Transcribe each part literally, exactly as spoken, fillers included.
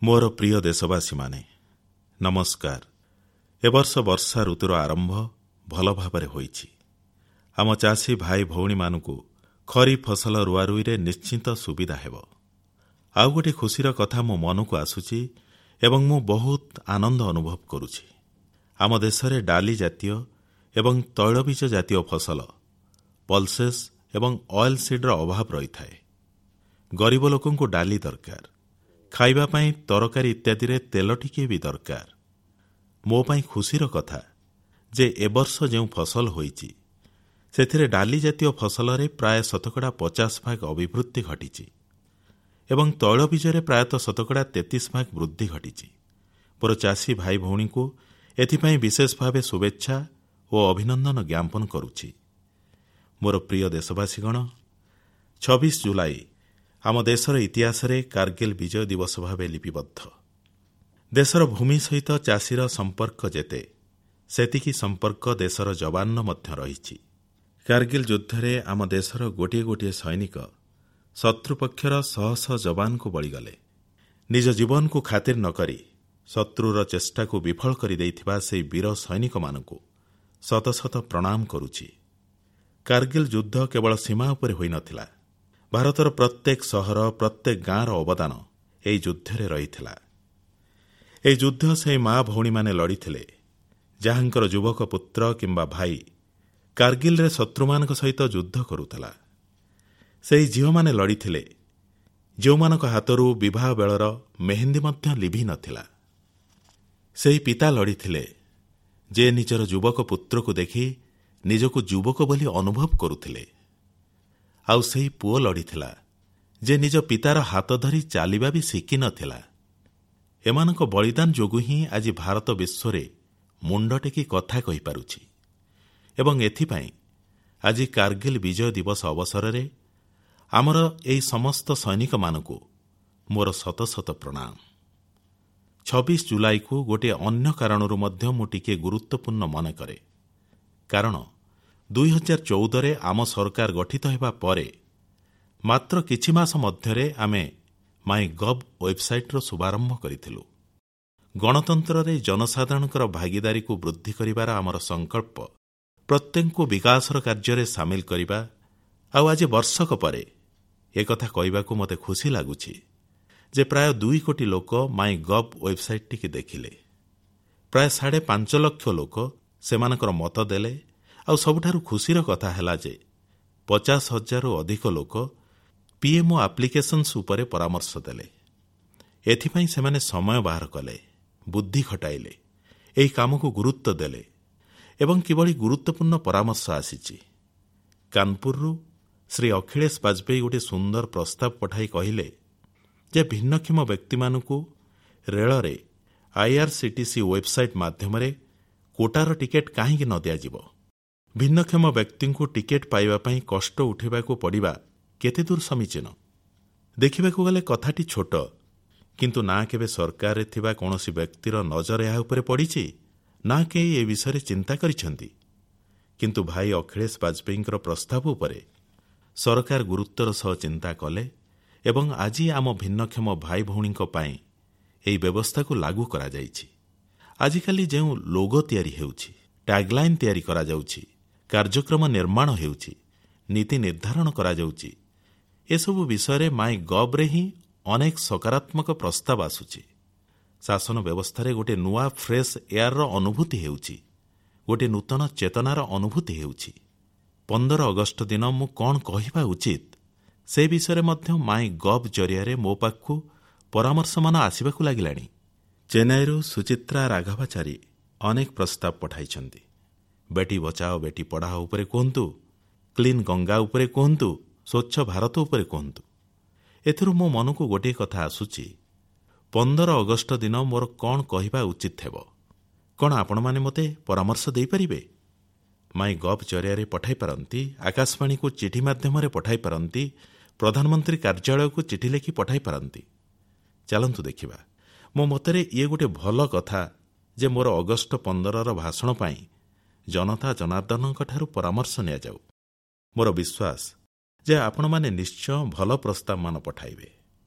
ମୋର ପ୍ରିୟ ଦେଶବାସୀମାନେ, ନମସ୍କାର। ଏ ବର୍ଷ ବର୍ଷା ଋତୁର ଆରମ୍ଭ ଭଲ ଭାବରେ ହୋଇଛି। ଆମ ଚାଷୀ ଭାଇ ଭଉଣୀମାନଙ୍କୁ ଖରିଫ ଫସଲ ରୁଆରୁଇରେ ନିଶ୍ଚିତ ସୁବିଧା ହେବ। ଆଉ ଗୋଟିଏ ଖୁସିର କଥା ମୋ ମନକୁ ଆସୁଛି ଏବଂ ମୁଁ ବହୁତ ଆନନ୍ଦ ଅନୁଭବ କରୁଛି। ଆମ ଦେଶରେ ଡାଲି ଜାତୀୟ ଏବଂ ତୈଳବୀଜ ଜାତୀୟ ଫସଲ, ପଲସେସ୍ ଏବଂ ଅଏଲ୍ ସିଡ୍ର ଅଭାବ ରହିଥାଏ। ଗରିବ ଲୋକଙ୍କୁ ଡାଲି ଦରକାର, ଖାଇବା ପାଇଁ ତରକାରୀ ଇତ୍ୟାଦିରେ ତେଲ ଟିକିଏ ବି ଦରକାର। ମୋ ପାଇଁ ଖୁସିର କଥା ଯେ ଏ ବର୍ଷ ଯେଉଁ ଫସଲ ହୋଇଛି, ସେଥିରେ ଡାଲି ଜାତୀୟ ଫସଲରେ ପ୍ରାୟ ଶତକଡ଼ା ପଚାଶ ଭାଗ ଅଭିବୃଦ୍ଧି ଘଟିଛି ଏବଂ ତୈଳବୀଜରେ ପ୍ରାୟତଃ ଶତକଡ଼ା ତେତିଶ ଭାଗ ବୃଦ୍ଧି ଘଟିଛି। ମୋର ଚାଷୀ ଭାଇ ଭଉଣୀଙ୍କୁ ଏଥିପାଇଁ ବିଶେଷ ଭାବେ ଶୁଭେଚ୍ଛା ଓ ଅଭିନନ୍ଦନ ଜ୍ଞାପନ କରୁଛି। ମୋର ପ୍ରିୟ ଦେଶବାସୀଗଣ, ଛବିଶ ଜୁଲାଇ ଆମ ଦେଶର ଇତିହାସରେ କାର୍ଗିଲ ବିଜୟ ଦିବସ ଭାବେ ଲିପିବଦ୍ଧ। ଦେଶର ଭୂମି ସହିତ ଚାଷୀର ସମ୍ପର୍କ ଯେତେ, ସେତିକି ସମ୍ପର୍କ ଦେଶର ଯବାନର ମଧ୍ୟ ରହିଛି। କାର୍ଗିଲ ଯୁଦ୍ଧରେ ଆମ ଦେଶର ଗୋଟିଏ ଗୋଟିଏ ସୈନିକ ଶତ୍ରୁପକ୍ଷର ଶହ ଶହ ଯବାନଙ୍କୁ ବଳିଗଲେ। ନିଜ ଜୀବନକୁ ଖାତିର ନ କରି ଶତ୍ରୁର ଚେଷ୍ଟାକୁ ବିଫଳ କରିଦେଇଥିବା ସେହି ବୀର ସୈନିକମାନଙ୍କୁ ଶତ ଶତ ପ୍ରଣାମ କରୁଛି। କାର୍ଗିଲ ଯୁଦ୍ଧ କେବଳ ସୀମା ଉପରେ ହୋଇନଥିଲା। ଭାରତର ପ୍ରତ୍ୟେକ ସହର, ପ୍ରତ୍ୟେକ ଗାଁର ଅବଦାନ ଏହି ଯୁଦ୍ଧରେ ରହିଥିଲା। ଏହି ଯୁଦ୍ଧ ସେହି ମା ଭଉଣୀମାନେ ଲଢ଼ିଥିଲେ, ଯାହାଙ୍କର ଯୁବକ ପୁତ୍ର କିମ୍ବା ଭାଇ କାର୍ଗିଲରେ ଶତ୍ରୁମାନଙ୍କ ସହିତ ଯୁଦ୍ଧ କରୁଥିଲା। ସେହି ଝିଅମାନେ ଲଢ଼ିଥିଲେ, ଯେଉଁମାନଙ୍କ ହାତରୁ ବିବାହ ବେଳର ମେହେନ୍ଦି ମଧ୍ୟ ଲିଭି ନଥିଲା। ସେହି ପିତା ଲଢ଼ିଥିଲେ, ଯେ ନିଜର ଯୁବକ ପୁତ୍ରକୁ ଦେଖି ନିଜକୁ ଯୁବକ ବୋଲି ଅନୁଭବ କରୁଥିଲେ। ଆଉ ସେହି ପୁଅ ଲଢ଼ିଥିଲା, ଯେ ନିଜ ପିତାର ହାତ ଧରି ଚାଲିବା ବି ଶିଖିନଥିଲା। ଏମାନଙ୍କ ବଳିଦାନ ଯୋଗୁଁ ହିଁ ଆଜି ଭାରତ ବିଶ୍ୱରେ ମୁଣ୍ଡ ଟେକି କଥା କହିପାରୁଛି ଏବଂ ଏଥିପାଇଁ ଆଜି କାର୍ଗିଲ ବିଜୟ ଦିବସ ଅବସରରେ ଆମର ଏହି ସମସ୍ତ ସୈନିକମାନଙ୍କୁ ମୋର ଶତ ଶତ ପ୍ରଣାମ। ଛବିଶ ଜୁଲାଇକୁ ଗୋଟିଏ ଅନ୍ୟ କାରଣରୁ ମଧ୍ୟ ମୁଁ ଟିକିଏ ଗୁରୁତ୍ୱପୂର୍ଣ୍ଣ ମନେକରେ, କାରଣ ଦୁଇ ହଜାର ଚଉଦରେ ଆମ ସରକାର ଗଠିତ ହେବା ପରେ ମାତ୍ର କିଛି ମାସ ମଧ୍ୟରେ ଆମେ ମାଇ ଗଭ୍ ୱେବସାଇଟ୍ର ଶୁଭାରମ୍ଭ କରିଥିଲୁ। ଗଣତନ୍ତ୍ରରେ ଜନସାଧାରଣଙ୍କର ଭାଗିଦାରୀକୁ ବୃଦ୍ଧି କରିବାର ଆମର ସଂକଳ୍ପ, ପ୍ରତ୍ୟେକଙ୍କୁ ବିକାଶର କାର୍ଯ୍ୟରେ ସାମିଲ କରିବା। ଆଉ ଆଜି ବର୍ଷକ ପରେ ଏକଥା କହିବାକୁ ମୋତେ ଖୁସି ଲାଗୁଛି ଯେ ପ୍ରାୟ ଦୁଇ କୋଟି ଲୋକ ମାଇ ଗଭ୍ ୱେବସାଇଟ୍ଟିକି ଦେଖିଲେ। ପ୍ରାୟ ସାଢ଼େ ପାଞ୍ଚ ଲକ୍ଷ ଲୋକ ସେମାନଙ୍କର ମତ ଦେଲେ। ଆଉ ସବୁଠାରୁ ଖୁସିର କଥା ହେଲା ଯେ ପଚାଶ ହଜାରରୁ ଅଧିକ ଲୋକ ପିଏମ୍ଓ ଆପ୍ଲିକେସନ୍ସ ଉପରେ ପରାମର୍ଶ ଦେଲେ। ଏଥିପାଇଁ ସେମାନେ ସମୟ ବାହାର କଲେ, ବୁଦ୍ଧି ଖଟାଇଲେ, ଏହି କାମକୁ ଗୁରୁତ୍ୱ ଦେଲେ ଏବଂ କିଭଳି ଗୁରୁତ୍ୱପୂର୍ଣ୍ଣ ପରାମର୍ଶ ଆସିଛି। କାନପୁରରୁ ଶ୍ରୀ ଅଖିଳେଶ ବାଜପେୟୀ ଗୋଟିଏ ସୁନ୍ଦର ପ୍ରସ୍ତାବ ପଠାଇ କହିଲେ ଯେ ଭିନ୍ନକ୍ଷମ ବ୍ୟକ୍ତିମାନଙ୍କୁ ରେଳରେ ଆଇଆର୍ସିଟିସି ୱେବସାଇଟ୍ ମାଧ୍ୟମରେ କୋଟାର ଟିକେଟ୍ କାହିଁକି ନ ଦିଆଯିବ? ଭିନ୍ନକ୍ଷମ ବ୍ୟକ୍ତିଙ୍କୁ ଟିକେଟ୍ ପାଇବା ପାଇଁ କଷ୍ଟ ଉଠାଇବାକୁ ପଡ଼ିବା କେତେ ଦୂର ସମୀଚୀନ? ଦେଖିବାକୁ ଗଲେ କଥାଟି ଛୋଟ, କିନ୍ତୁ ନା କେବେ ସରକାରରେ ଥିବା କୌଣସି ବ୍ୟକ୍ତିର ନଜର ଏହା ଉପରେ ପଡ଼ିଛି, ନା କେହି ଏ ବିଷୟରେ ଚିନ୍ତା କରିଛନ୍ତି। କିନ୍ତୁ ଭାଇ ଅଖିଳେଶ ବାଜପେୟୀଙ୍କର ପ୍ରସ୍ତାବ ଉପରେ ସରକାର ଗୁରୁତ୍ୱର ସହ ଚିନ୍ତା କଲେ ଏବଂ ଆଜି ଆମ ଭିନ୍ନକ୍ଷମ ଭାଇ ଭଉଣୀଙ୍କ ପାଇଁ ଏହି ବ୍ୟବସ୍ଥାକୁ ଲାଗୁ କରାଯାଇଛି। ଆଜିକାଲି ଯେଉଁ ଲୋଗୋ ତିଆରି ହେଉଛି, ଟ୍ୟାଗ୍ଲାଇନ୍ ତିଆରି କରାଯାଉଛି, କାର୍ଯ୍ୟକ୍ରମ ନିର୍ମାଣ ହେଉଛି, ନୀତି ନିର୍ଦ୍ଧାରଣ କରାଯାଉଛି, ଏସବୁ ବିଷୟରେ ମାଇ ଗଭ୍ରେ ହିଁ ଅନେକ ସକାରାତ୍ମକ ପ୍ରସ୍ତାବ ଆସୁଛି। ଶାସନ ବ୍ୟବସ୍ଥାରେ ଗୋଟିଏ ନୂଆ ଫ୍ରେଶ୍ ଏୟାରର ଅନୁଭୂତି ହେଉଛି, ଗୋଟିଏ ନୂତନ ଚେତନାର ଅନୁଭୂତି ହେଉଛି। ପନ୍ଦର ଅଗଷ୍ଟ ଦିନ ମୁଁ କ'ଣ କହିବା ଉଚିତ, ସେ ବିଷୟରେ ମଧ୍ୟ ମାଇ ଗଭ୍ ଜରିଆରେ ମୋ ପାଖକୁ ପରାମର୍ଶମାନ ଆସିବାକୁ ଲାଗିଲାଣି। ଚେନ୍ନାଇରୁ ସୁଚିତ୍ରା ରାଘବାଚାରୀ ଅନେକ ପ୍ରସ୍ତାବ ପଠାଇଛନ୍ତି। ବେଟି ବଚାଓ ବେଟି ପଢ଼ାଓ ଉପରେ କୁହନ୍ତୁ, କ୍ଲିନ୍ ଗଙ୍ଗା ଉପରେ କୁହନ୍ତୁ, ସ୍ୱଚ୍ଛ ଭାରତ ଉପରେ କୁହନ୍ତୁ। ଏଥିରୁ ମୋ ମନକୁ ଗୋଟିଏ କଥା ଆସୁଛି, ପନ୍ଦର ଅଗଷ୍ଟ ଦିନ ମୋର କ'ଣ କହିବା ଉଚିତ ହେବ? କ'ଣ ଆପଣମାନେ ମୋତେ ପରାମର୍ଶ ଦେଇପାରିବେ? ମାଇ ଗଭ୍ ଜରିଆରେ ପଠାଇ ପାରନ୍ତି, ଆକାଶବାଣୀକୁ ଚିଠି ମାଧ୍ୟମରେ ପଠାଇ ପାରନ୍ତି, ପ୍ରଧାନମନ୍ତ୍ରୀ କାର୍ଯ୍ୟାଳୟକୁ ଚିଠି ଲେଖି ପଠାଇ ପାରନ୍ତି। ଚାଲନ୍ତୁ ଦେଖିବା। ମୋ ମତରେ ଇଏ ଗୋଟିଏ ଭଲ କଥା ଯେ ମୋର ଅଗଷ୍ଟ ପନ୍ଦରର ଭାଷଣ ପାଇଁ ଜନତା ଜନାର୍ଦ୍ଦନଙ୍କଠାରୁ ପରାମର୍ଶ ନିଆଯାଉ। ମୋର ବିଶ୍ୱାସ ଯେ ଆପଣମାନେ ନିଶ୍ଚୟ ଭଲ ପ୍ରସ୍ତାବମାନ ପଠାଇବେ।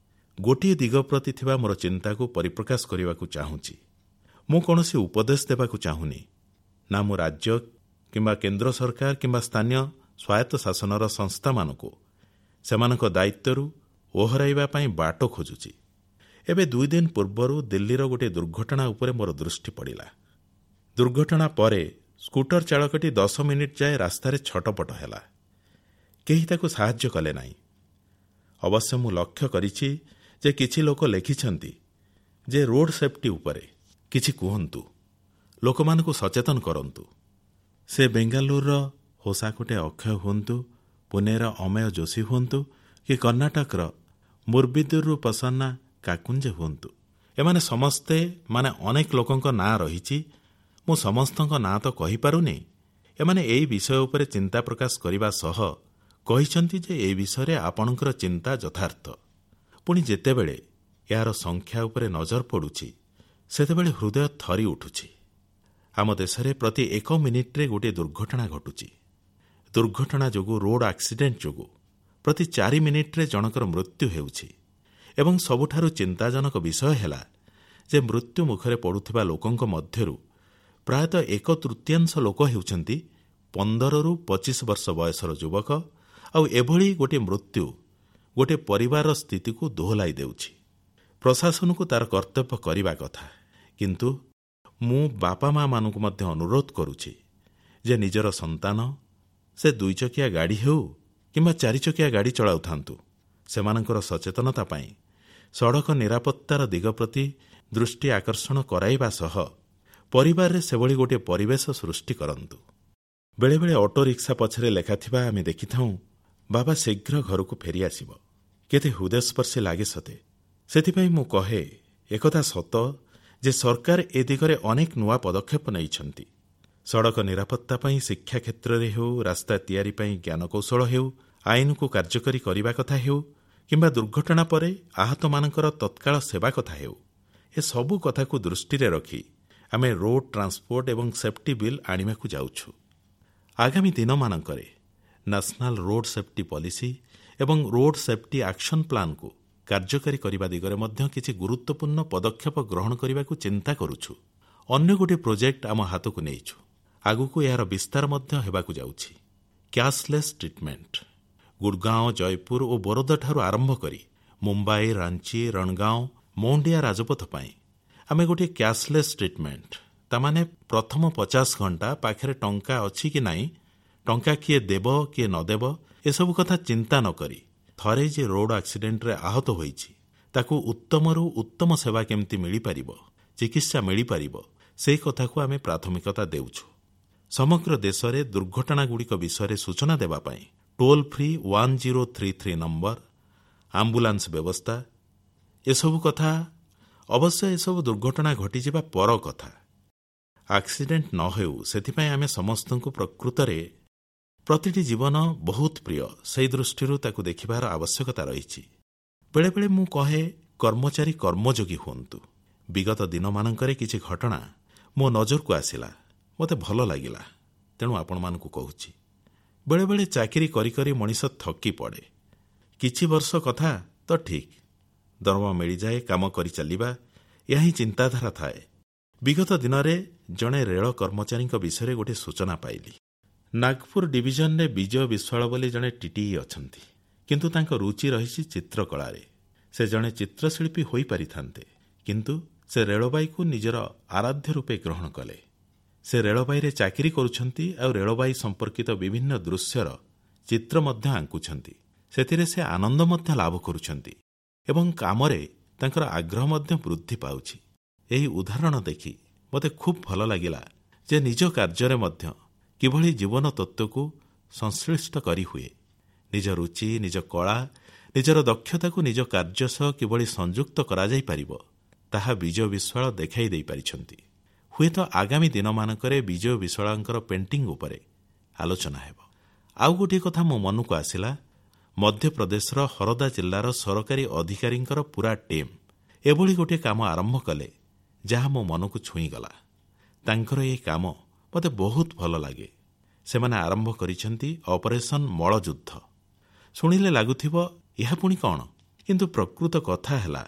ଗୋଟିଏ ଦିଗ ପ୍ରତି ଥିବା ମୋର ଚିନ୍ତାକୁ ପରିପ୍ରକାଶ କରିବାକୁ ଚାହୁଁଛି। ମୁଁ କୌଣସି ଉପଦେଶ ଦେବାକୁ ଚାହୁଁନି। ନା ମୁଁ ରାଜ୍ୟ କିମ୍ବା କେନ୍ଦ୍ର ସରକାର କିମ୍ବା ସ୍ଥାନୀୟ ସ୍ୱାୟତ୍ତ ଶାସନର ସଂସ୍ଥାମାନଙ୍କୁ ସେମାନଙ୍କ ଦାୟିତ୍ୱରୁ ଓହରାଇବା ପାଇଁ ବାଟ ଖୋଜୁଛି। ଏବେ ଦୁଇ ଦିନ ପୂର୍ବରୁ ଦିଲ୍ଲୀର ଗୋଟିଏ ଦୁର୍ଘଟଣା ଉପରେ ମୋର ଦୃଷ୍ଟି ପଡ଼ିଲା। ଦୁର୍ଘଟଣା ପରେ ସ୍କୁଟର ଚାଳକଟି ଦଶ ମିନିଟ୍ ଯାଏ ରାସ୍ତାରେ ଛଟପଟ ହେଲା। କେହି ତାକୁ ସାହାଯ୍ୟ କଲେ ନାହିଁ। ଅବଶ୍ୟ ମୁଁ ଲକ୍ଷ୍ୟ କରିଛି ଯେ କିଛି ଲୋକ ଲେଖିଛନ୍ତି ଯେ ରୋଡ୍ ସେଫ୍ଟି ଉପରେ କିଛି କୁହନ୍ତୁ, ଲୋକମାନଙ୍କୁ ସଚେତନ କରନ୍ତୁ। ସେ ବେଙ୍ଗାଲୁରୁର ହୋସାକୋଟେ ଅକ୍ଷୟ ହୁଅନ୍ତୁ, ପୁନେର ଅମେୟ ଯୋଶୀ ହୁଅନ୍ତୁ କି କର୍ଣ୍ଣାଟକର ମୁର୍ବିଦୁରରୁ ପ୍ରସନ୍ନା କାକୁଞ୍ଜେ ହୁଅନ୍ତୁ, ଏମାନେ ସମସ୍ତେ, ମାନେ ଅନେକ ଲୋକଙ୍କ ନାଁ ରହିଛି, ମୁଁ ସମସ୍ତଙ୍କ ନାଁ ତ କହିପାରୁନି। ଏମାନେ ଏହି ବିଷୟ ଉପରେ ଚିନ୍ତା ପ୍ରକାଶ କରିବା ସହ କହିଛନ୍ତି ଯେ ଏ ବିଷୟରେ ଆପଣଙ୍କର ଚିନ୍ତା ଯଥାର୍ଥ। ପୁଣି ଯେତେବେଳେ ଏହାର ସଂଖ୍ୟା ଉପରେ ନଜର ପଡ଼ୁଛି, ସେତେବେଳେ ହୃଦୟ ଥରି ଉଠୁଛି। ଆମ ଦେଶରେ ପ୍ରତି ଏକ ମିନିଟ୍ରେ ଗୋଟିଏ ଦୁର୍ଘଟଣା ଘଟୁଛି। ଦୁର୍ଘଟଣା ଯୋଗୁଁ, ରୋଡ୍ ଆକ୍ସିଡେଣ୍ଟ ଯୋଗୁଁ ପ୍ରତି ଚାରି ମିନିଟ୍ରେ ଜଣଙ୍କର ମୃତ୍ୟୁ ହେଉଛି ଏବଂ ସବୁଠାରୁ ଚିନ୍ତାଜନକ ବିଷୟ ହେଲା ଯେ ମୃତ୍ୟୁ ମୁଖରେ ପଡ଼ୁଥିବା ଲୋକଙ୍କ ମଧ୍ୟରୁ ପ୍ରାୟତଃ ଏକ ତୃତୀୟାଂଶ ଲୋକ ହେଉଛନ୍ତି ପନ୍ଦରରୁ ପଚିଶ ବର୍ଷ ବୟସର ଯୁବକ। ଆଉ ଏଭଳି ଗୋଟିଏ ମୃତ୍ୟୁ ଗୋଟିଏ ପରିବାରର ସ୍ଥିତିକୁ ଦୋହଲାଇ ଦେଉଛି। ପ୍ରଶାସନକୁ ତାର କର୍ତ୍ତବ୍ୟ କରିବା କଥା, କିନ୍ତୁ ମୁଁ ବାପା ମାମାନଙ୍କୁ ମଧ୍ୟ ଅନୁରୋଧ କରୁଛି ଯେ ନିଜର ସନ୍ତାନ, ସେ ଦୁଇଚକିଆ ଗାଡ଼ି ହେଉ କିମ୍ବା ଚାରିଚକିଆ ଗାଡ଼ି ଚଳାଉଥାନ୍ତୁ, ସେମାନଙ୍କର ସଚେତନତା ପାଇଁ ସଡ଼କ ନିରାପତ୍ତାର ଦିଗ ପ୍ରତି ଦୃଷ୍ଟି ଆକର୍ଷଣ କରାଇବା ସହ ପରିବାରରେ ସେଭଳି ଗୋଟିଏ ପରିବେଶ ସୃଷ୍ଟି କରନ୍ତୁ। ବେଳେବେଳେ ଅଟୋ ରିକ୍ସା ପଛରେ ଲେଖାଥିବା ଆମେ ଦେଖିଥାଉଁ, ବାବା ଶୀଘ୍ର ଘରକୁ ଫେରିଆସିବ। କେତେ ହୃଦୟସ୍ପର୍ଶୀ ଲାଗେ ସତେ। ସେଥିପାଇଁ ମୁଁ କହେ, ଏକଥା ସତ ଯେ ସରକାର ଏ ଦିଗରେ ଅନେକ ନୂଆ ପଦକ୍ଷେପ ନେଇଛନ୍ତି। ସଡ଼କ ନିରାପତ୍ତା ପାଇଁ ଶିକ୍ଷା କ୍ଷେତ୍ରରେ ହେଉ, ରାସ୍ତା ତିଆରି ପାଇଁ ଜ୍ଞାନକୌଶଳ ହେଉ, ଆଇନକୁ କାର୍ଯ୍ୟକାରୀ କରିବା କଥା ହେଉ କିମ୍ବା ଦୁର୍ଘଟଣା ପରେ ଆହତମାନଙ୍କର ତତ୍କାଳ ସେବା କଥା ହେଉ, ଏସବୁ କଥାକୁ ଦୃଷ୍ଟିରେ ରଖି ଆମେ ରୋଡ୍ ଟ୍ରାନ୍ସପୋର୍ଟ ଏବଂ ସେଫ୍ଟି ବିଲ୍ ଆଣିବାକୁ ଯାଉଛୁ। ଆଗାମୀ ଦିନମାନଙ୍କରେ ନ୍ୟାସନାଲ ରୋଡ୍ ସେଫ୍ଟି ପଲିସି ଏବଂ ରୋଡ୍ ସେଫ୍ଟି ଆକ୍ସନ ପ୍ଲାନ୍କୁ କାର୍ଯ୍ୟକାରୀ କରିବା ଦିଗରେ ମଧ୍ୟ କିଛି ଗୁରୁତ୍ୱପୂର୍ଣ୍ଣ ପଦକ୍ଷେପ ଗ୍ରହଣ କରିବାକୁ ଚିନ୍ତା କରୁଛୁ। ଅନ୍ୟ ଗୋଟିଏ ପ୍ରୋଜେକ୍ଟ ଆମ ହାତକୁ ନେଇଛୁ। ଆଗକୁ ଏହାର ବିସ୍ତାର ମଧ୍ୟ ହେବାକୁ ଯାଉଛି। Cashless treatment. Gurgaon, Jaipur ଓ ବରୋଦାଠାରୁ ଆରମ୍ଭ କରି ମୁମ୍ବାଇ, ରାଞ୍ଚି, ରଣଗାଁଓ, ମୌଣ୍ଡିଆ ରାଜପଥ ପାଇଁ ଆମେ ଗୋଟିଏ କ୍ୟାସଲେସ୍ ଟ୍ରିଟମେଣ୍ଟ, ତାମାନେ ପ୍ରଥମ ପଚାଶ ଘଣ୍ଟା ପାଖରେ ଟଙ୍କା ଅଛି କି ନାହିଁ, ଟଙ୍କା କିଏ ଦେବ କିଏ ନ ଦେବ, ଏସବୁ କଥା ଚିନ୍ତା ନ କରି ଥରେ ଯେ ରୋଡ୍ ଆକ୍ସିଡେଣ୍ଟରେ ଆହତ ହୋଇଛି ତାକୁ ଉତ୍ତମରୁ ଉତ୍ତମ ସେବା କେମିତି ମିଳିପାରିବ, ଚିକିତ୍ସା ମିଳିପାରିବ, ସେହି କଥାକୁ ଆମେ ପ୍ରାଥମିକତା ଦେଉଛୁ। ସମଗ୍ର ଦେଶରେ ଦୁର୍ଘଟଣାଗୁଡ଼ିକ ବିଷୟରେ ସୂଚନା ଦେବା ପାଇଁ toll free one zero three three number, ambulance ବ୍ୟବସ୍ଥା, ଏସବୁ କଥା। ଅବଶ୍ୟ ଏସବୁ ଦୁର୍ଘଟଣା ଘଟିଯିବା ପର କଥା। ଆକ୍ସିଡେଣ୍ଟ ନ ହେଉ ସେଥିପାଇଁ ଆମେ ସମସ୍ତଙ୍କୁ ପ୍ରକୃତରେ ପ୍ରତିଟି ଜୀବନ ବହୁତ ପ୍ରିୟ, ସେହି ଦୃଷ୍ଟିରୁ ତାକୁ ଦେଖିବାର ଆବଶ୍ୟକତା ରହିଛି। ବେଳେବେଳେ ମୁଁ କହେ, କର୍ମଚାରୀ କର୍ମଯୋଗୀ ହୁଅନ୍ତୁ। ବିଗତ ଦିନମାନଙ୍କରେ କିଛି ଘଟଣା ମୋ ନଜରକୁ ଆସିଲା, ମୋତେ ଭଲ ଲାଗିଲା, ତେଣୁ ଆପଣମାନଙ୍କୁ କହୁଛି। ବେଳେବେଳେ ଚାକିରି କରି କରି ମଣିଷ ଥକି ପଡ଼େ। କିଛି ବର୍ଷ କଥା ତ ଠିକ୍, ଦରମା ମିଳିଯାଏ, କାମ କରି ଚାଲିବା, ଏହା ହିଁ ଚିନ୍ତାଧାରା ଥାଏ। ବିଗତ ଦିନରେ ଜଣେ ରେଳ କର୍ମଚାରୀଙ୍କ ବିଷୟରେ ଗୋଟିଏ ସୂଚନା ପାଇଲି। ନାଗପୁର ଡିଭିଜନରେ ବିଜୟ ବିଶ୍ୱାଳ ବୋଲି ଜଣେ ଟିଟିଇ ଅଛନ୍ତି, କିନ୍ତୁ ତାଙ୍କ ରୁଚି ରହିଛି ଚିତ୍ରକଳାରେ। ସେ ଜଣେ ଚିତ୍ରଶିଳ୍ପୀ ହୋଇପାରିଥାନ୍ତେ, କିନ୍ତୁ ସେ ରେଳବାଇକୁ ନିଜର ଆରାଧ୍ୟ ରୂପେ ଗ୍ରହଣ କଲେ। ସେ ରେଳବାଇରେ ଚାକିରି କରୁଛନ୍ତି ଆଉ ରେଳବାଇ ସମ୍ପର୍କିତ ବିଭିନ୍ନ ଦୃଶ୍ୟର ଚିତ୍ର ମଧ୍ୟ ଆଙ୍କୁଛନ୍ତି। ସେଥିରେ ସେ ଆନନ୍ଦ ମଧ୍ୟ ଲାଭ କରୁଛନ୍ତି ଏବଂ କାମରେ ତାଙ୍କର ଆଗ୍ରହ ମଧ୍ୟ ବୃଦ୍ଧି ପାଉଛି। ଏହି ଉଦାହରଣ ଦେଖି ମୋତେ ଖୁବ୍ ଭଲ ଲାଗିଲା ଯେ ନିଜ କାର୍ଯ୍ୟରେ ମଧ୍ୟ କିଭଳି ଜୀବନ ତତ୍ତ୍ୱକୁ ସଂଶ୍ଳିଷ୍ଟ କରିହୁଏ। ନିଜ ରୁଚି, ନିଜ କଳା, ନିଜର ଦକ୍ଷତାକୁ ନିଜ କାର୍ଯ୍ୟ ସହ କିଭଳି ସଂଯୁକ୍ତ କରାଯାଇପାରିବ ତାହା ବିଜୟ ବିଶ୍ୱାଳ ଦେଖାଇ ଦେଇପାରିଛନ୍ତି। ହୁଏତ ଆଗାମୀ ଦିନମାନଙ୍କରେ ବିଜୟ ବିଶ୍ୱାଳଙ୍କର ପେଣ୍ଟିଂ ଉପରେ ଆଲୋଚନା ହେବ। ଆଉ ଗୋଟିଏ କଥା ମୋ ମନକୁ ଆସିଲା। ମଧ୍ୟପ୍ରଦେଶର ହରଦା ଜିଲ୍ଲାର ସରକାରୀ ଅଧିକାରୀଙ୍କର ପୁରା ଟିମ୍ ଏଭଳି ଗୋଟିଏ କାମ ଆରମ୍ଭ କଲେ ଯାହା ମୋ ମନକୁ ଛୁଇଁଗଲା। ତାଙ୍କର ଏହି କାମ ମୋତେ ବହୁତ ଭଲ ଲାଗେ। ସେମାନେ ଆରମ୍ଭ କରିଛନ୍ତି ଅପରେସନ୍ ମଳଯୁଦ୍ଧ। ଶୁଣିଲେ ଲାଗୁଥିବ ଏହା ପୁଣି କ'ଣ? କିନ୍ତୁ ପ୍ରକୃତ କଥା ହେଲା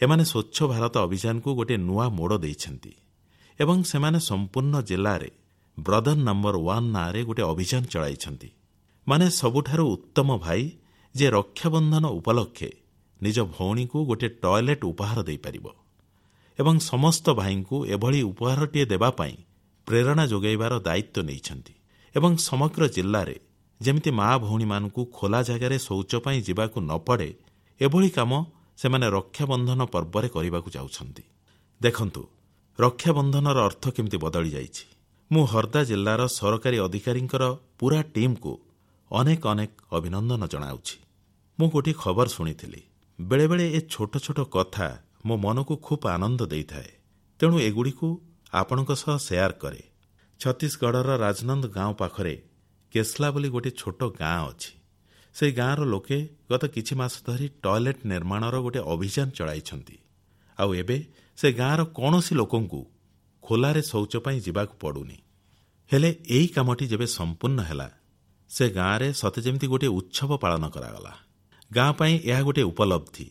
ଏମାନେ ସ୍ୱଚ୍ଛ ଭାରତ ଅଭିଯାନକୁ ଗୋଟିଏ ନୂଆ ମୋଡ଼ ଦେଇଛନ୍ତି ଏବଂ ସେମାନେ ସମ୍ପୂର୍ଣ୍ଣ ଜିଲ୍ଲାରେ ବ୍ରଦର ନମ୍ବର ୱାନ୍ ନାଁରେ ଗୋଟିଏ ଅଭିଯାନ ଚଳାଇଛନ୍ତି। ମାନେ ସବୁଠାରୁ ଉତ୍ତମ ଭାଇ ଯିଏ ରକ୍ଷାବନ୍ଧନ ଉପଲକ୍ଷେ ନିଜ ଭଉଣୀକୁ ଗୋଟିଏ ଟଏଲେଟ୍ ଉପହାର ଦେଇପାରିବ ଏବଂ ସମସ୍ତ ଭାଇଙ୍କୁ ଏଭଳି ଉପହାରଟିଏ ଦେବା ପାଇଁ ପ୍ରେରଣା ଯୋଗାଇବାର ଦାୟିତ୍ୱ ନେଇଛନ୍ତି ଏବଂ ସମଗ୍ର ଜିଲ୍ଲାରେ ଯେମିତି ମା ଭଉଣୀମାନଙ୍କୁ ଖୋଲା ଜାଗାରେ ଶୌଚ ପାଇଁ ଯିବାକୁ ନ ପଡ଼େ ଏଭଳି କାମ ସେମାନେ ରକ୍ଷାବନ୍ଧନ ପର୍ବରେ କରିବାକୁ ଯାଉଛନ୍ତି। ଦେଖନ୍ତୁ, ରକ୍ଷାବନ୍ଧନର ଅର୍ଥ କେମିତି ବଦଳି ଯାଇଛି। ମୁଁ ହର୍ଦ୍ଦା ଜିଲ୍ଲାର ସରକାରୀ ଅଧିକାରୀଙ୍କର ପୂରା ଟିମ୍କୁ ଅନେକ ଅନେକ ଅଭିନନ୍ଦନ ଜଣାଉଛି। ମୁଁ ଗୋଟିଏ ଖବର ଶୁଣିଥିଲି। ବେଳେବେଳେ ଏ ଛୋଟ ଛୋଟ କଥା ମୋ ମନକୁ ଖୁବ୍ ଆନନ୍ଦ ଦେଇଥାଏ, ତେଣୁ ଏଗୁଡ଼ିକୁ ଆପଣଙ୍କ ସହ ସେୟାର କରେ। ଛତିଶଗଡ଼ର ରାଜନନ୍ଦ ଗାଁ ପାଖରେ କେସ୍ଲା ବୋଲି ଗୋଟିଏ ଛୋଟ ଗାଁ ଅଛି। ସେହି ଗାଁର ଲୋକେ ଗତ କିଛି ମାସ ଧରି ଟଏଲେଟ୍ ନିର୍ମାଣର ଗୋଟିଏ ଅଭିଯାନ ଚଳାଇଛନ୍ତି। ଆଉ ଏବେ ସେ ଗାଁର କୌଣସି ଲୋକଙ୍କୁ ଖୋଲାରେ ଶୌଚ ପାଇଁ ଯିବାକୁ ପଡ଼ୁନି। ହେଲେ ଏହି କାମଟି ଯେବେ ସମ୍ପୂର୍ଣ୍ଣ ହେଲା, ସେ ଗାଁରେ ସତେ ଯେମିତି ଗୋଟିଏ ଉତ୍ସବ ପାଳନ କରାଗଲା। ଗାଁ ପାଇଁ ଏହା ଗୋଟିଏ ଉପଲବ୍ଧି।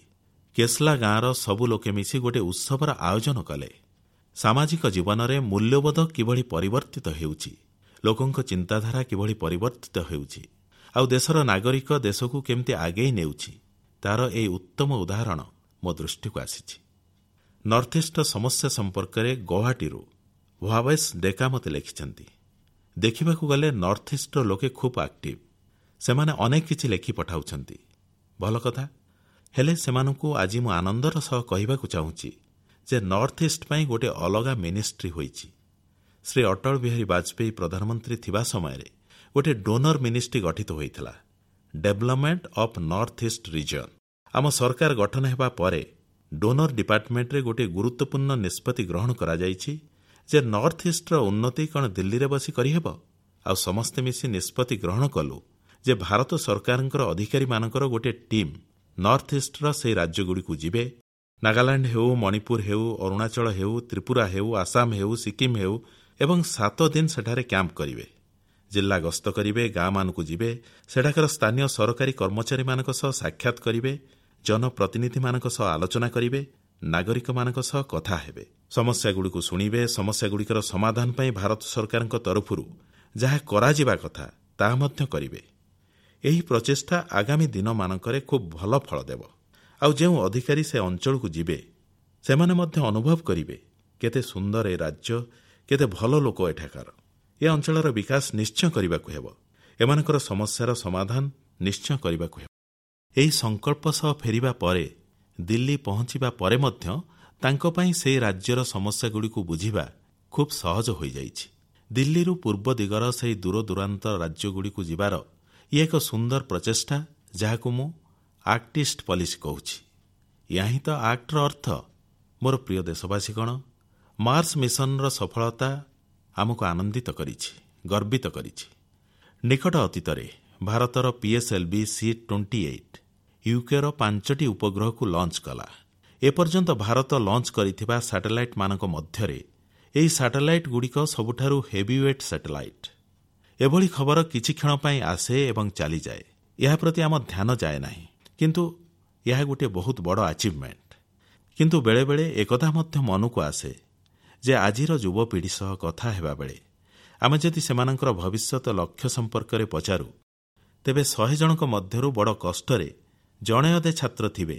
କେସ୍ଲା ଗାଁର ସବୁ ଲୋକେ ମିଶି ଗୋଟିଏ ଉତ୍ସବର ଆୟୋଜନ କଲେ। ସାମାଜିକ ଜୀବନରେ ମୂଲ୍ୟବୋଧ କିଭଳି ପରିବର୍ତ୍ତିତ ହେଉଛି, ଲୋକଙ୍କ ଚିନ୍ତାଧାରା କିଭଳି ପରିବର୍ତ୍ତିତ ହେଉଛି, ଆଉ ଦେଶର ନାଗରିକ ଦେଶକୁ କେମିତି ଆଗେଇ ନେଉଛି, ତାର ଏହି ଉତ୍ତମ ଉଦାହରଣ ମୋ ଦୃଷ୍ଟିକୁ ଆସିଛି। ନର୍ଥଇଷ୍ଟର ସମସ୍ୟା ସମ୍ପର୍କରେ ଗୌହାଟୀରୁ ଭବେଶ ଡେକା ମୋତେ ଲେଖିଛନ୍ତି। ଦେଖିବାକୁ ଗଲେ ନର୍ଥଇଷ୍ଟର ଲୋକେ ଖୁବ୍ ଆକ୍ଟିଭ। ସେମାନେ ଅନେକ କିଛି ଲେଖି ପଠାଉଛନ୍ତି, ଭଲ କଥା। ହେଲେ ସେମାନଙ୍କୁ ଆଜି ମୁଁ ଆନନ୍ଦର ସହ କହିବାକୁ ଚାହୁଁଛି ଯେ ନର୍ଥଇଷ୍ଟ ପାଇଁ ଗୋଟିଏ ଅଲଗା ମିନିଷ୍ଟ୍ରି ହୋଇଛି। ଶ୍ରୀ ଅଟଳ ବିହାରୀ ବାଜପେୟୀ ପ୍ରଧାନମନ୍ତ୍ରୀ ଥିବା ସମୟରେ ଗୋଟିଏ ଡୋନର ମିନିଷ୍ଟ୍ରି ଗଠିତ ହୋଇଥିଲା, development of north east region. ଆମ ସରକାର ଗଠନ ହେବା ପରେ ଡୋନର ଡିପାର୍ଟମେଣ୍ଟରେ ଗୋଟିଏ ଗୁରୁତ୍ୱପୂର୍ଣ୍ଣ ନିଷ୍ପତ୍ତି ଗ୍ରହଣ କରାଯାଇଛି ଯେ ନର୍ଥ ଇଷ୍ଟର ଉନ୍ନତି କ'ଣ ଦିଲ୍ଲୀରେ ବସି କରିହେବ? ଆଉ ସମସ୍ତେ ମିଶି ନିଷ୍ପତ୍ତି ଗ୍ରହଣ କଲୁ ଯେ ଭାରତ ସରକାରଙ୍କର ଅଧିକାରୀମାନଙ୍କର ଗୋଟିଏ ଟିମ୍ ନର୍ଥ ଇଷ୍ଟର ସେହି ରାଜ୍ୟଗୁଡ଼ିକୁ ଯିବେ। ନାଗାଲାଣ୍ଡ ହେଉ, ମଣିପୁର ହେଉ, ଅରୁଣାଚଳ ହେଉ, ତ୍ରିପୁରା ହେଉ, ଆସାମ ହେଉ, ସିକିମ୍ ହେଉ, ଏବଂ ସାତ ଦିନ ସେଠାରେ କ୍ୟାମ୍ପ କରିବେ। ଜିଲ୍ଲା ଗସ୍ତ କରିବେ, ଗାଁମାନଙ୍କୁ ଯିବେ, ସେଠାକାର ସ୍ଥାନୀୟ ସରକାରୀ କର୍ମଚାରୀମାନଙ୍କ ସହ ସାକ୍ଷାତ କରିବେ, ଜନପ୍ରତିନିଧିମାନଙ୍କ ସହ ଆଲୋଚନା କରିବେ, ନାଗରିକମାନଙ୍କ ସହ କଥା ହେବେ, ସମସ୍ୟାଗୁଡ଼ିକୁ ଶୁଣିବେ, ସମସ୍ୟାଗୁଡ଼ିକର ସମାଧାନ ପାଇଁ ଭାରତ ସରକାରଙ୍କ ତରଫରୁ ଯାହା କରାଯିବା କଥା ତାହା ମଧ୍ୟ କରିବେ। ଏହି ପ୍ରଚେଷ୍ଟା ଆଗାମୀ ଦିନମାନଙ୍କରେ ଖୁବ୍ ଭଲ ଫଳ ଦେବ। ଆଉ ଯେଉଁ ଅଧିକାରୀ ସେ ଅଞ୍ଚଳକୁ ଯିବେ ସେମାନେ ମଧ୍ୟ ଅନୁଭବ କରିବେ କେତେ ସୁନ୍ଦର ଏ ରାଜ୍ୟ, କେତେ ଭଲ ଲୋକ ଏଠାକାର। ଏ ଅଞ୍ଚଳର ବିକାଶ ନିଶ୍ଚୟ କରିବାକୁ ହେବ, ଏମାନଙ୍କର ସମସ୍ୟାର ସମାଧାନ ନିଶ୍ଚୟ କରିବାକୁ ହେବ। ଏହି ସଂକଳ୍ପ ସହ ଫେରିବା ପରେ ଦିଲ୍ଲୀ ପହଞ୍ଚିବା ପରେ ମଧ୍ୟ ତାଙ୍କ ପାଇଁ ସେହି ରାଜ୍ୟର ସମସ୍ୟାଗୁଡ଼ିକୁ ବୁଝିବା ଖୁବ୍ ସହଜ ହୋଇଯାଇଛି। ଦିଲ୍ଲୀରୁ ପୂର୍ବ ଦିଗର ସେହି ଦୂରଦୂରାନ୍ତ ରାଜ୍ୟଗୁଡ଼ିକୁ ଯିବାର ଇଏ ଏକ ସୁନ୍ଦର ପ୍ରଚେଷ୍ଟା, ଯାହାକୁ ମୁଁ ଆକ୍ଟ ଇଷ୍ଟ ପଲିସି କହୁଛି। ଏହା ହିଁ ତ ଆକ୍ଟର ଅର୍ଥ। ମୋର ପ୍ରିୟ ଦେଶବାସୀଗଣ, ମାର୍ସ ମିଶନର ସଫଳତା ଆମକୁ ଆନନ୍ଦିତ କରିଛି, ଗର୍ବିତ କରିଛି। ନିକଟ ଅତୀତରେ ଭାରତର ପିଏସ୍ଏଲ୍ଭି ସି ଟ୍ୱେଣ୍ଟି ଏଇଟ୍ ୟୁକେର ପାଞ୍ଚଟି ଉପଗ୍ରହକୁ ଲଞ୍ଚ କଲା। ଏପର୍ଯ୍ୟନ୍ତ ଭାରତ ଲଞ୍ଚ କରିଥିବା ସାଟେଲାଇଟ୍ମାନଙ୍କ ମଧ୍ୟରେ ଏହି ସାଟେଲାଇଟ୍ଗୁଡ଼ିକ ସବୁଠାରୁ ହେଭିୱେଟ୍ ସାଟେଲାଇଟ୍। ଏଭଳି ଖବର କିଛି କ୍ଷଣ ପାଇଁ ଆସେ ଏବଂ ଚାଲିଯାଏ, ଏହା ପ୍ରତି ଆମ ଧ୍ୟାନ ଯାଏ ନାହିଁ, କିନ୍ତୁ ଏହା ଗୋଟିଏ ବହୁତ ବଡ଼ ଆଚିଭମେଣ୍ଟ। କିନ୍ତୁ ବେଳେବେଳେ ଏକଥା ମଧ୍ୟ ମନକୁ ଆସେ ଯେ ଆଜିର ଯୁବପିଢ଼ି ସହ କଥା ହେବାବେଳେ ଆମେ ଯଦି ସେମାନଙ୍କର ଭବିଷ୍ୟତ ଲକ୍ଷ୍ୟ ସମ୍ପର୍କରେ ପଚାରୁ, ତେବେ ଶହେ ଜଣଙ୍କ ମଧ୍ୟରୁ ବଡ଼ କଷ୍ଟରେ ଜଣେ ଅଧେ ଛାତ୍ର ଥିବେ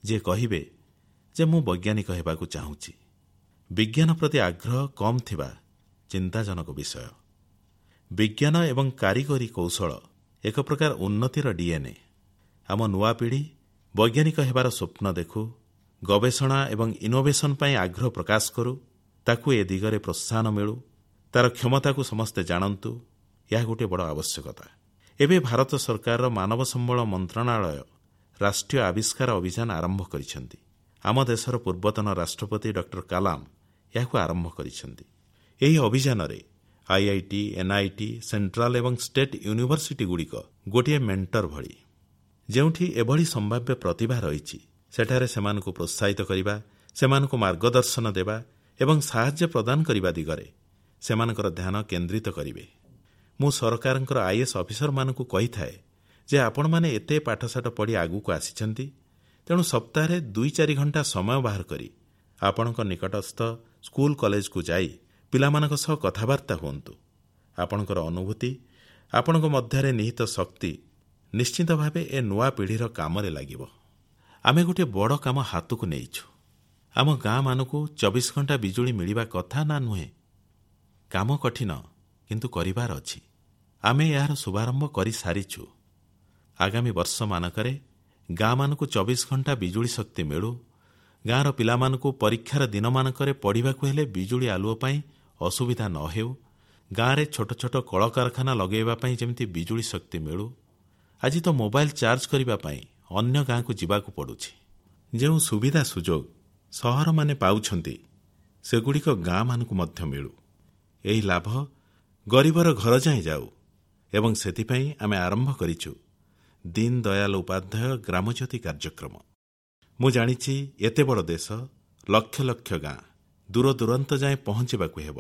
ଯିଏ କହିବେ ଯେ ମୁଁ ବୈଜ୍ଞାନିକ ହେବାକୁ ଚାହୁଁଛି। ବିଜ୍ଞାନ ପ୍ରତି ଆଗ୍ରହ କମ୍ ଥିବା ଚିନ୍ତାଜନକ ବିଷୟ। ବିଜ୍ଞାନ ଏବଂ କାରିଗରୀ କୌଶଳ ଏକ ପ୍ରକାର ଉନ୍ନତିର ଡିଏନ୍ଏ। ଆମ ନୂଆ ପିଢ଼ି ବୈଜ୍ଞାନିକ ହେବାର ସ୍ୱପ୍ନ ଦେଖୁ, ଗବେଷଣା ଏବଂ ଇନୋଭେସନ ପାଇଁ ଆଗ୍ରହ ପ୍ରକାଶ କରୁ, ତାକୁ ଏ ଦିଗରେ ପ୍ରୋତ୍ସାହନ ମିଳୁ, ତାର କ୍ଷମତାକୁ ସମସ୍ତେ ଜାଣନ୍ତୁ, ଏହା ଗୋଟିଏ ବଡ଼ ଆବଶ୍ୟକତା। ଏବେ ଭାରତ ସରକାରର ମାନବ ସମ୍ବଳ ମନ୍ତ୍ରଣାଳୟ ରାଷ୍ଟ୍ରୀୟ ଆବିଷ୍କାର ଅଭିଯାନ ଆରମ୍ଭ କରିଛନ୍ତି। ଆମ ଦେଶର ପୂର୍ବତନ ରାଷ୍ଟ୍ରପତି ଡକ୍ଟର କାଲାମ ଏହାକୁ ଆରମ୍ଭ କରିଛନ୍ତି। ଏହି ଅଭିଯାନରେ ଆଇଆଇଟି, ଏନ୍ଆଇଟି, ସେଣ୍ଟ୍ରାଲ ଏବଂ ଷ୍ଟେଟ୍ ୟୁନିଭର୍ସିଟିଗୁଡ଼ିକ ଗୋଟିଏ ମେଣ୍ଟର ଭଳି। ଯେଉଁଠି ଏଭଳି ସମ୍ଭାବ୍ୟ ପ୍ରତିଭା ରହିଛି, ସେଠାରେ ସେମାନଙ୍କୁ ପ୍ରୋତ୍ସାହିତ କରିବା, ସେମାନଙ୍କୁ ମାର୍ଗଦର୍ଶନ ଦେବା ଏବଂ ସାହାଯ୍ୟ ପ୍ରଦାନ କରିବା ଦିଗରେ ସେମାନଙ୍କର ଧ୍ୟାନ କେନ୍ଦ୍ରିତ କରିବେ। ମୁଁ ସରକାରଙ୍କର ଆଇଏଏସ୍ ଅଫିସରମାନଙ୍କୁ କହିଥାଏ ଯେ ଆପଣମାନେ ଏତେ ପାଠଶାଠ ପଢ଼ି ଆଗକୁ ଆସିଛନ୍ତି, ତେଣୁ ସପ୍ତାହରେ ଦୁଇ ଚାରି ଘଣ୍ଟା ସମୟ ବାହାର କରି ଆପଣଙ୍କ ନିକଟସ୍ଥ ସ୍କୁଲ କଲେଜକୁ ଯାଇ ପିଲାମାନଙ୍କ ସହ କଥାବାର୍ତ୍ତା ହୁଅନ୍ତୁ। ଆପଣଙ୍କର ଅନୁଭୂତି, ଆପଣଙ୍କ ମଧ୍ୟରେ ନିହିତ ଶକ୍ତି ନିଶ୍ଚିତ ଭାବେ ଏ ନୂଆ ପିଢ଼ିର କାମରେ ଲାଗିବ। ଆମେ ଗୋଟିଏ ବଡ଼ କାମ ହାତକୁ ନେଇଛୁ। ଆମ ଗାଁମାନଙ୍କୁ ଚବିଶ ଘଣ୍ଟା ବିଜୁଳି ମିଳିବା କଥା ନା ନୁହେଁ? କାମ କଠିନ, କିନ୍ତୁ କରିବାର ଅଛି। ଆମେ ଏହାର ଶୁଭାରମ୍ଭ କରିସାରିଛୁ। ଆଗାମୀ ବର୍ଷମାନଙ୍କରେ ଗାଁମାନଙ୍କୁ ଚବିଶ ଘଣ୍ଟା ବିଜୁଳି ଶକ୍ତି ମିଳୁ, ଗାଁର ପିଲାମାନଙ୍କୁ ପରୀକ୍ଷାର ଦିନମାନଙ୍କରେ ପଢ଼ିବାକୁ ହେଲେ ବିଜୁଳି ଆଲୁଅ ପାଇଁ ଅସୁବିଧା ନ ହେଉ, ଗାଁରେ ଛୋଟ ଛୋଟ କଳକାରଖାନା ଲଗାଇବା ପାଇଁ ଯେମିତି ବିଜୁଳି ଶକ୍ତି ମିଳୁ। ଆଜି ତ ମୋବାଇଲ ଚାର୍ଜ କରିବା ପାଇଁ ଅନ୍ୟ ଗାଁକୁ ଯିବାକୁ ପଡ଼ୁଛି। ଯେଉଁ ସୁବିଧା ସୁଯୋଗ ସହରମାନେ ପାଉଛନ୍ତି, ସେଗୁଡ଼ିକ ଗାଁମାନଙ୍କୁ ମଧ୍ୟ ମିଳୁ। ଏହି ଲାଭ ଗରିବର ଘର ଯାଏଁ ଯାଉ ଏବଂ ସେଥିପାଇଁ ଆମେ ଆରମ୍ଭ କରିଛୁ ଦୀନ ଦୟାଲ ଉପାଧ୍ୟାୟ ଗ୍ରାମଜ୍ୟୋତି କାର୍ଯ୍ୟକ୍ରମ। ମୁଁ ଜାଣିଛି ଏତେ ବଡ଼ ଦେଶ, ଲକ୍ଷ ଲକ୍ଷ ଗାଁ, ଦୂରଦୂରାନ୍ତ ଯାଏଁ ପହଞ୍ଚିବାକୁ ହେବ,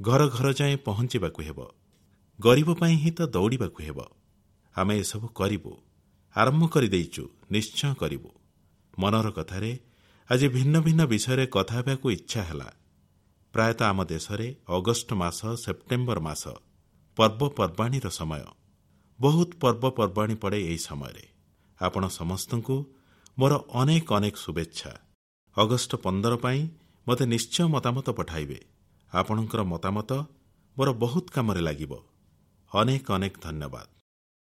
ଘର ଘର ଯାଏଁ ପହଞ୍ଚିବାକୁ ହେବ, ଗରିବ ପାଇଁ ହିଁ ତ ଦୌଡ଼ିବାକୁ ହେବ। ଆମେ ଏସବୁ କରିବୁ, ଆରମ୍ଭ କରିଦେଇଛୁ, ନିଶ୍ଚୟ କରିବୁ। ମନର କଥାରେ ଆଜି ଭିନ୍ନ ଭିନ୍ନ ବିଷୟରେ କଥା ହେବାକୁ ଇଚ୍ଛା ହେଲା। ପ୍ରାୟତଃ ଆମ ଦେଶରେ ଅଗଷ୍ଟ ମାସ, ସେପ୍ଟେମ୍ବର ମାସ ପର୍ବପର୍ବାଣୀର ସମୟ। ବହୁତ ପର୍ବପର୍ବାଣୀ ପଡ଼େ ଏହି ସମୟରେ। ଆପଣ ସମସ୍ତଙ୍କୁ ମୋର ଅନେକ ଅନେକ ଶୁଭେଚ୍ଛା। ଅଗଷ୍ଟ ପନ୍ଦର ପାଇଁ ମୋତେ ନିଶ୍ଚୟ ମତାମତ ପଠାଇବେ। ଆପଣଙ୍କର ମତାମତ ମୋର ବହୁତ କାମରେ ଲାଗିବ। ଅନେକ ଅନେକ ଧନ୍ୟବାଦ।